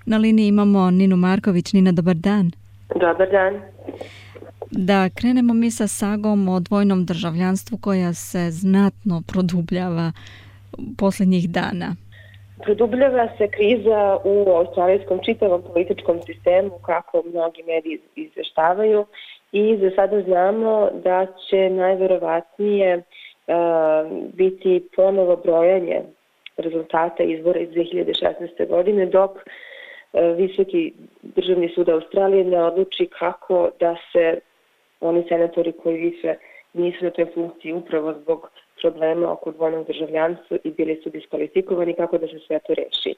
Na liniji imamo Ninu Marković. Nina, dobar dan. Dobar dan. Da krenemo mi sa sagom o dvojnom državljanstvu koja se znatno produbljava posljednjih dana. Produbljava se kriza u australijskom čitavom političkom sistemu, kako mnogi mediji izveštavaju, i za sada znamo da će najverovatnije biti ponovo brojanje rezultata izbora iz 2016. godine, dok Visoki državni sud Australije ne odluči kako da se oni senatori koji više nisu na toj funkciji upravo zbog problema oko dvojnog državljanstva i bili su diskvalifikovani, kako da se sve to reši.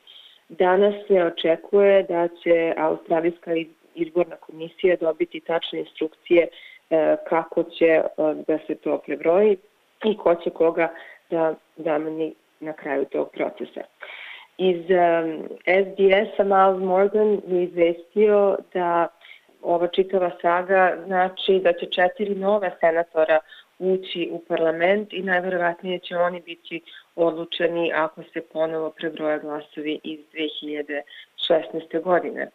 Danas se očekuje da će Australijska izborna komisija dobiti tačne instrukcije kako će da se to prebroji i ko će koga da zameni na kraju tog procesa. Iz SBS-a Miles Morgan je izvestio da ova čitava saga znači da će 4 nova senatora ući u parlament i najverovatnije će oni biti odlučeni ako se ponovo prebroja glasovi iz 2016. godine.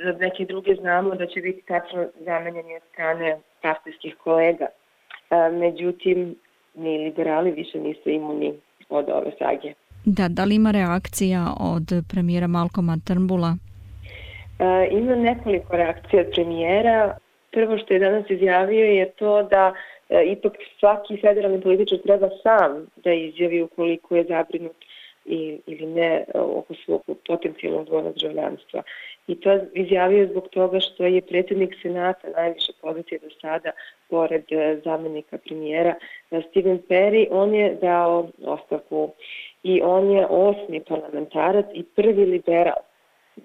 Za neke druge znamo da će biti tačno zamenjeni od strane partijskih kolega. Međutim, ni liberali više nisu imuni od ove sage. Da li ima reakcija od premijera Malcolma Turnbulla? Ima nekoliko reakcija od premijera. Prvo što je danas izjavio je to da ipak svaki federalni političar treba sam da izjavi ukoliko je zabrinut ili ne oko svog potencijalnog dvojnog državljanstva. I to izjavio zbog toga što je predsjednik Senata najviše pozicije do sada, pored zamenika premijera Stephen Perry, on je dao ostavku i on je 8. parlamentarac i prvi liberal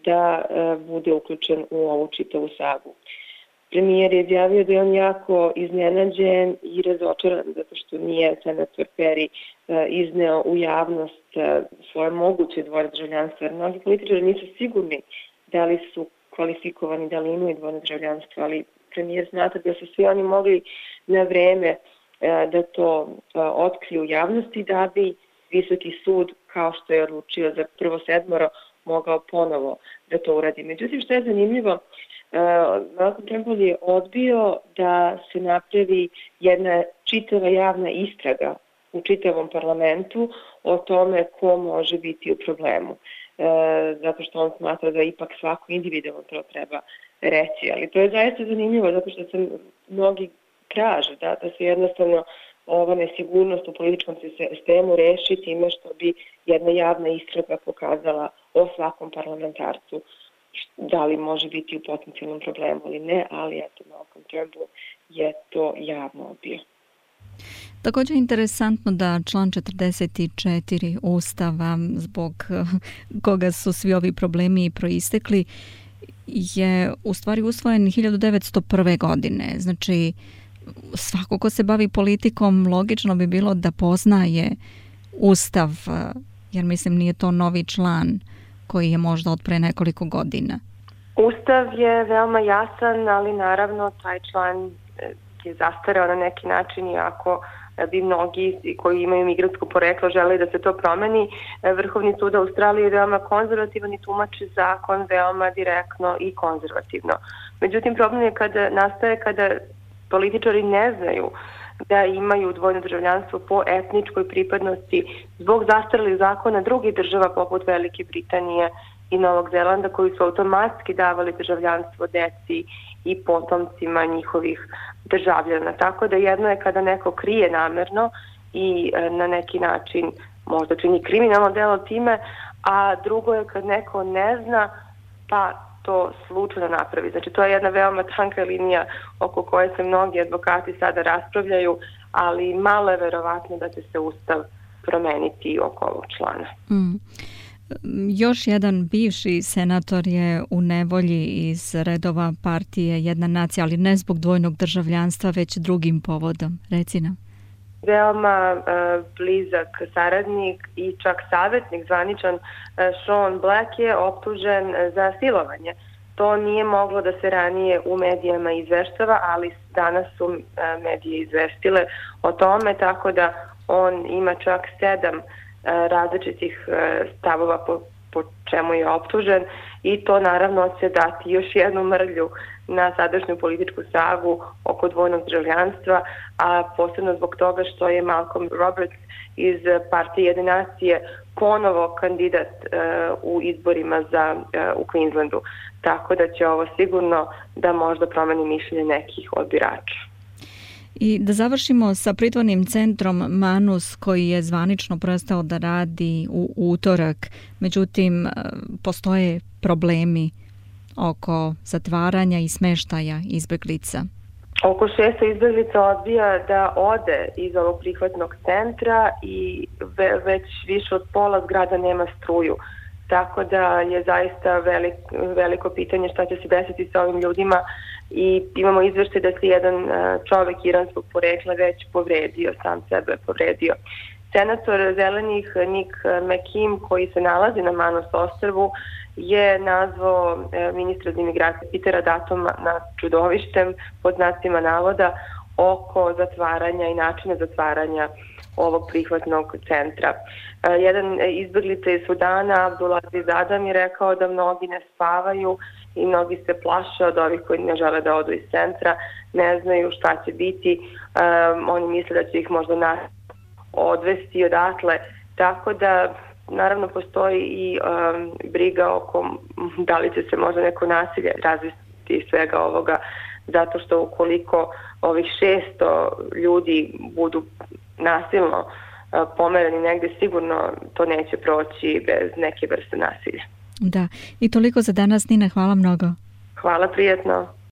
da bude uključen u ovu čitavu sagu. Premijer je izjavio da je on jako iznenađen i razočaran zato što nije senator Perry izneo u javnost svoje moguće dvojno državljanstvo, jer mnogi političari nisu sigurni da li su kvalifikovani, da li imaju dvojno državljanstvo, ali premijer smatra da su svi oni mogli na vreme da to otkriju u javnosti da bi Visoki sud, kao što je odlučio za prvo 7, mogao ponovo da to uradi. Međutim, što je zanimljivo, Malcolm Turnbull je odbio da se napravi jedna čitava javna istraga u čitavom parlamentu o tome ko može biti u problemu. Zato što on smatra da ipak svako individualno to treba reći. Ali to je zaista zanimljivo zato što se mnogi traže da se jednostavno ova nesigurnost u političkom sistemu reši time što bi jedna javna istraga pokazala o svakom parlamentarcu da li može biti u potencijalnom problemu ili ne, ali eto, Malcolm Turnbull je to javno odbio. Također je interesantno da član 44 Ustava, zbog koga su svi ovi problemi proistekli, je u stvari usvojen 1901. godine. Znači, svako ko se bavi politikom, logično bi bilo da poznaje Ustav, jer mislim nije to novi član koji je možda od pre nekoliko godina. Ustav je veoma jasan, ali naravno taj član je zastareo na neki način, iako bi mnogi koji imaju migrantsko poreklo žele da se to promeni. Vrhovni sud Australije je veoma konzervativan i tumači zakon veoma direktno i konzervativno. Međutim, problem je kada političari ne znaju da imaju dvojno državljanstvo po etničkoj pripadnosti zbog zastarelih zakona drugih država poput Velike Britanije i Novog Zelanda, koji su automatski davali državljanstvo deci i potomcima njihovih državljana. Tako da jedno je kada neko krije namerno i na neki način možda čini kriminalno delo time, a drugo je kad neko ne zna pa to slučajno napravi. Znači, to je jedna veoma tanka linija oko koje se mnogi advokati sada raspravljaju, ali malo je verovatno da će se Ustav promeniti oko ovog člana. Još jedan bivši senator je u nevolji iz redova partije Jedna nacija, ali ne zbog dvojnog državljanstva, već drugim povodom. Reci nam. Veoma blizak saradnik i čak savjetnik zvaničan Sean Black je optužen za silovanje. To nije moglo da se ranije u medijama izveštava, ali danas su medije izvestile o tome, tako da on ima čak 7 različitih stavova po po čemu je optužen i to naravno će dati još jednu mrlju na sadašnju političku sagu oko dvojnog državljanstva, a posebno zbog toga što je Malcolm Roberts iz partije Jedne nacije ponovo kandidat u izborima u Queenslandu. Tako da će ovo sigurno da možda promeni mišljenje nekih od birača. I da završimo sa pritvornim centrom Manus koji je zvanično prestao da radi u utorak. Međutim, postoje problemi oko zatvaranja i smeštaja izbeglica. Oko 600 izbeglica odbija da ode iz ovog prihvatnog centra i već više od pola zgrada nema struju. Tako da je zaista veliko pitanje šta će se desiti sa ovim ljudima i imamo izveštaj da se jedan čovek iranskog porekla već povredio, sam sebe povredio. Senator Zelenih Nick McKim, koji se nalazi na Manus ostrvu, je nazvao ministra za imigracije Petera Duttoma na čudovištem pod znacima navoda oko zatvaranja i načina zatvaranja ovog prihvatnog centra. Jedan izbeglica iz Sudana, Abdulaziz Adam, je rekao da mnogi ne spavaju i mnogi se plaše od ovih koji ne žele da odu iz centra, ne znaju šta će biti, oni misle da će ih možda odvesti odatle, tako da naravno postoji i briga oko da li će se možda neko nasilje razviti iz svega ovoga, zato što ukoliko ovih 600 ljudi budu nasilno pomereni negde, sigurno to neće proći bez neke vrste nasilja. Da, i toliko za danas, Nina, hvala mnogo. Hvala, prijetno.